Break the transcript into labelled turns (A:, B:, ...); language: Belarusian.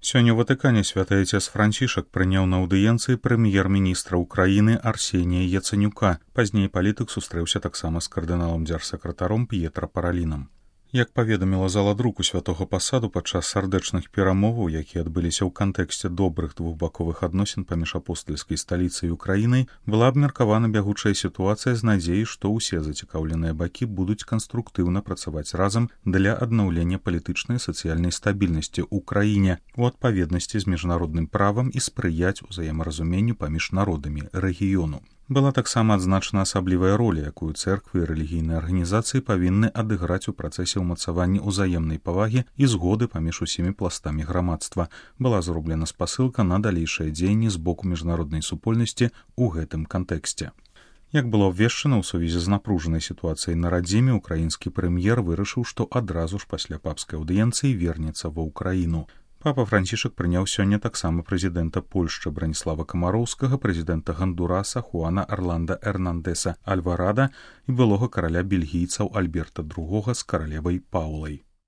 A: Сёння ў Ватыкане святы Отец Францішак прыняў на аўдыенцыі прэм'ер-міністра ўкраіны Арсенія Яцэнюка. Пазней палітык сустрэўся таксама з кардыналам дзяржсакратаром П'етра Паралінам. Як паведаміла зала друку святога пасаду падчас сардэчных перамоваў, якія адбыліся ў кантэксце добрых двухбаковых адносін паміж апостальскай сталіцай і Украінай, была абмеркавана бягучая сітуацыя з надзеяй, што ўсе зацікаўленыя бакі будуць канструктыўна працаваць разам для аднаўлення палітычнай і сацыяльнай стабільнасці ў краіне у адпаведнасці з міжнародным правам і спрыяць узаемаразуменню паміж народамі рэгіёну. Была таксама адзначана асаблівая роля, якую цэрквы і рэлігійныя арганізацыі павінны адыграць у працэсе ўмацавання ўзаемнай павагі і згоды паміж усімі пластамі грамадства. Была зроблена спасылка на далейшыя дзеянні з боку міжнароднай супольнасці ў гэтым кантэксце. Як было абвешчана ў сувязі з напружанай сітуацыяй на радзіме, украінскі прэм'ер вырашыў, што адразу ж пасля папскай аўдыенцыі вернецца ва ўкраіну. Папа Францішак прыняў сёння таксама прэзідэнта Польшчы Браніслава Камароўскага, прэзідэнта Гандураса Хуана Арланда Эрнандэса Альварада і былога караля бельгійцаў Альберта II з каралевай Паулай.